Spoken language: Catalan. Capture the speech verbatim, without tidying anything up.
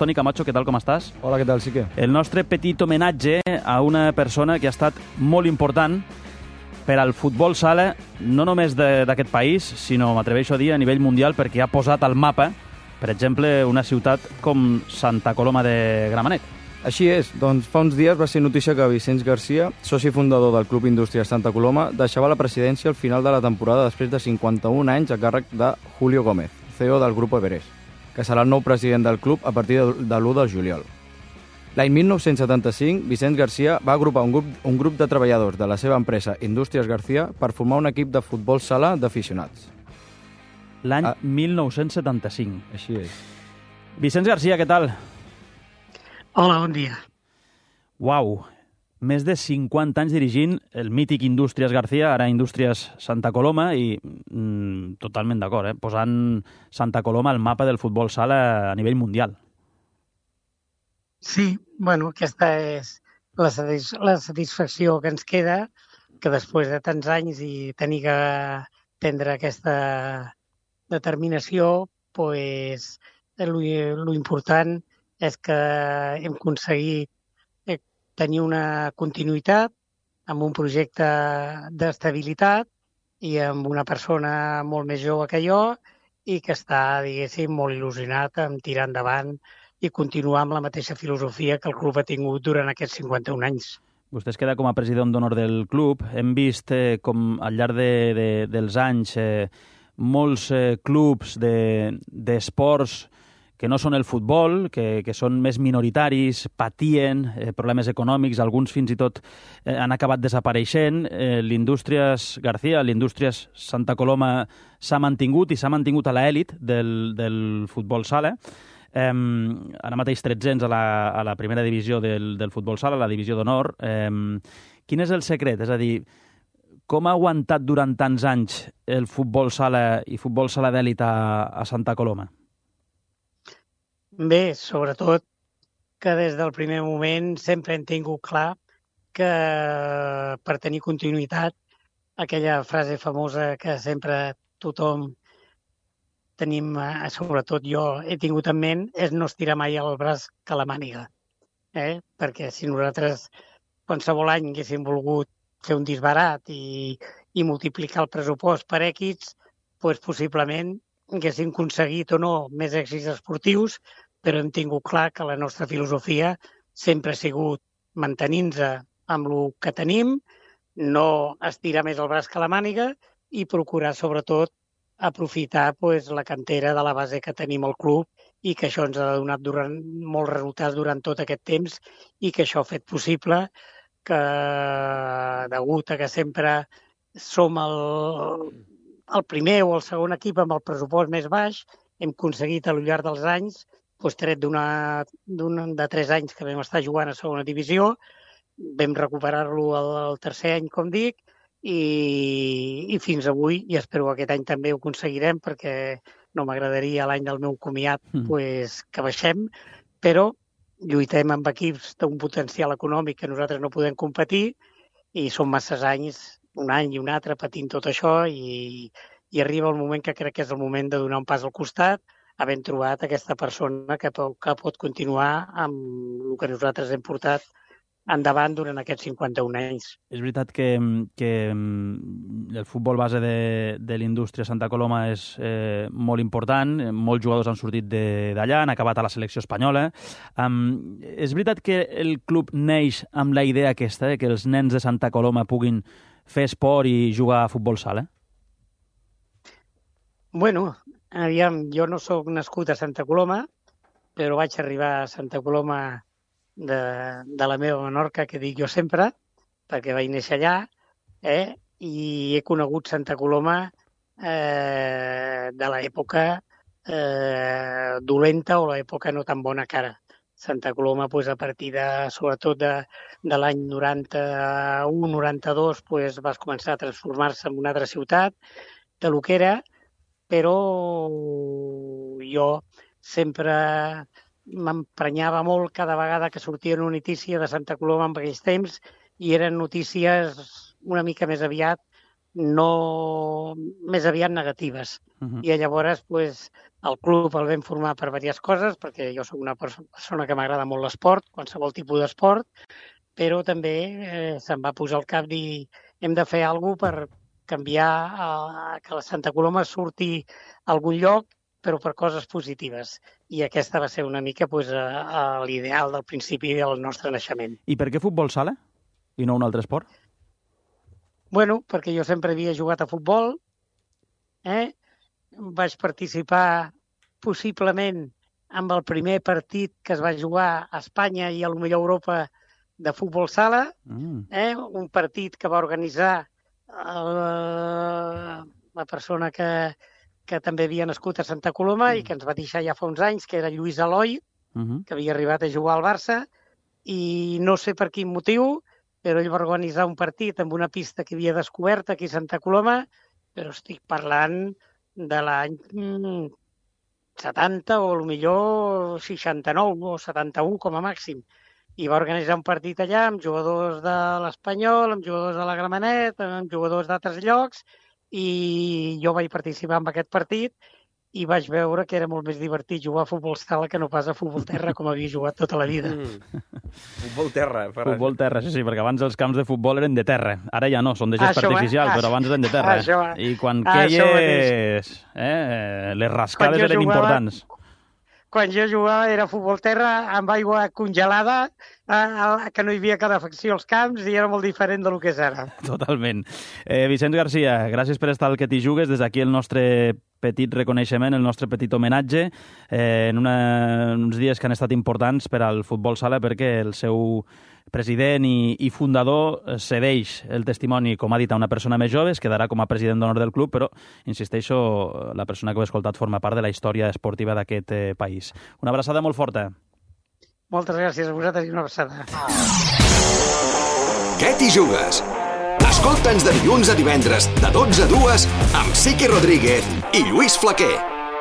Toni Camacho, què tal, com estàs? Hola, què tal, Sique? El nostre petit homenatge a una persona que ha estat molt important per al futbol sala, no només d'aquest país, sinó, m'atreveixo a dir, a nivell mundial, perquè ha posat al mapa, per exemple, una ciutat com Santa Coloma de Gramenet. Així és, doncs fa uns dies va ser notícia que Vicenç Garcia, soci fundador del Club Indústries Santa Coloma, deixava la presidència al final de la temporada després de cinquanta-un anys a càrrec de Julio Gómez, C E O del Grupo Everest, que serà el nou president del club a partir de l'u de juliol. L'any mil nou-cents setanta-cinc, Vicenç Garcia va agrupar un grup, un grup de treballadors de la seva empresa Indústries Garcia per formar un equip de futbol sala d'aficionats. L'any Ah. mil nou-cents setanta-cinc. Així és. Vicenç Garcia, què tal? Hola, bon dia. Uau, més de cinquanta anys dirigint el mític Indústries Garcia, ara Indústries Santa Coloma, i mm, totalment d'acord, eh? posant Santa Coloma al mapa del futbol sala a nivell mundial. Sí, bueno, aquesta és la, satis la satisfacció que ens queda, que després de tants anys i tenir que prendre aquesta determinació, pues, lo important és que hem aconseguit tenir una continuïtat amb un projecte d'estabilitat i amb una persona molt més jove que jo i que està, diguéssim, molt il·lusionat en tirar endavant i continuar amb la mateixa filosofia que el club ha tingut durant aquests cinquanta-un anys. Vostè es queda com a president d'honor del club. Hem vist eh, com al llarg de, de, dels anys eh, molts eh, clubs d'esports de, que no són el futbol, que, que són més minoritaris, patien eh, problemes econòmics, alguns fins i tot eh, han acabat desapareixent. Eh, L'Indústries Garcia, l'Indústries Santa Coloma s'ha mantingut i s'ha mantingut a l'elit del, del futbol sala. Eh, ara mateix tretzens a la, a la primera divisió del, del futbol sala, la divisió d'honor. Eh, quin és el secret? És a dir, com ha aguantat durant tants anys el futbol sala i futbol sala d'elit a, a Santa Coloma? Bé, sobretot que des del primer moment sempre hem tingut clar que per tenir continuïtat, aquella frase famosa que sempre tothom tenim, sobretot jo, he tingut en ment, és no estirar mai el braç que la màniga. Eh? Perquè si nosaltres qualsevol any haguéssim volgut fer un disbarat i, i multiplicar el pressupost per èxits, doncs possiblement haguéssim aconseguit o no més èxits esportius, però hem tingut clar que la nostra filosofia sempre ha sigut mantenir-nos amb el que tenim, no estirar més el braç que la màniga i procurar, sobretot, aprofitar pues, la cantera de la base que tenim al club i que això ens ha donat durant, molts resultats durant tot aquest temps i que això ha fet possible que, degut a que sempre som el, el primer o el segon equip amb el pressupost més baix, hem aconseguit al llarg dels anys, doncs, tret d'una de tres anys que vam estar jugant a segona divisió, vam recuperar-lo el, el tercer any, com dic, i, i fins avui, i espero que aquest any també ho aconseguirem, perquè no m'agradaria l'any del meu comiat mm. pues, que baixem, però lluitem amb equips d'un potencial econòmic que nosaltres no podem competir i són masses anys, un any i un altre, patint tot això i, i arriba el moment que crec que és el moment de donar un pas al costat, havent trobat aquesta persona que, que pot continuar amb el que nosaltres hem portat endavant durant aquests cinquanta-un anys. És veritat que, que el futbol base de, de l'Indústria Santa Coloma és eh, molt important, molts jugadors han sortit d'allà, han acabat a la selecció espanyola. Um, és veritat que el club neix amb la idea aquesta, eh, que els nens de Santa Coloma puguin fer esport i jugar a futbol sala? Bueno, aviam, jo no sóc nascut a Santa Coloma, però vaig arribar a Santa Coloma de, de la meva Menorca, que dic jo sempre, perquè vaig néixer allà, eh? I he conegut Santa Coloma eh, de l'època eh, dolenta o l'època no tan bona cara. Santa Coloma, pues, a partir de, sobretot de, de l'any noranta-u noranta-dos, pues, va començar a transformar-se en una altra ciutat de lo que era, però jo sempre m'emprenyava molt cada vegada que sortia una notícia de Santa Coloma en aquells temps i eren notícies una mica més aviat, no més aviat negatives. Uh-huh. I llavors pues, El club el vam formar per diverses coses, perquè jo soc una persona que m'agrada molt l'esport, qualsevol tipus d'esport, però també eh, se'm va posar al cap dir hem de fer alguna cosa per canviar eh, que la Santa Coloma surti a algun lloc, però per coses positives. I aquesta va ser una mica pues, uh, l'ideal del principi del nostre naixement. I per què futbol sala i no un altre esport? Bueno, perquè jo sempre havia jugat a futbol, eh? Vaig participar possiblement amb el primer partit que es va jugar a Espanya i a lo millor a Europa de futbol sala, mm. eh? Un partit que va organitzar uh, la persona que que també havia nascut a Santa Coloma mm. i que ens va deixar ja fa uns anys, que era Lluís Eloi, uh -huh. que havia arribat a jugar al Barça, i no sé per quin motiu, però ell va organitzar un partit amb una pista que havia descobert aquí a Santa Coloma, però estic parlant de l'any setanta o potser seixanta-nou o setanta-u com a màxim. I va organitzar un partit allà amb jugadors de l'Espanyol, amb jugadors de la Gramenet, amb jugadors d'altres llocs, i jo vaig participar en aquest partit i vaig veure que era molt més divertit jugar a futbol sala que no pas a futbol terra, com havia jugat tota la vida. Mm. Futbol terra. Per... Futbol terra, sí, sí, perquè abans els camps de futbol eren de terra. Ara ja no, són de gespa artificial, ah, però abans eren de terra. Això, I quan ah, queies, eh, les rascades eren jugava... importants. Quan jo jugava era futbol terra amb aigua congelada, eh, que no hi havia calefacció als camps i era molt diferent del que és ara. Totalment. Eh, Vicenç Garcia, gràcies per estar al Que t'hi jugues. Des d'aquí el nostre petit reconeixement, el nostre petit homenatge, eh, en una, uns dies que han estat importants per al futbol sala perquè el seu president i, i fundador cedeix el testimoni, com ha dit, a una persona més jove, es quedarà com a president d'honor del club, però, insisteixo, la persona que ho he escoltat forma part de la història esportiva d'aquest eh, país. Una abraçada molt forta. Moltes gràcies a vosaltres i una abraçada. Què t'hi jugues? Escolta'ns de dilluns a divendres, de dotze a dues, amb Siqui Rodríguez i Lluís Flaquer.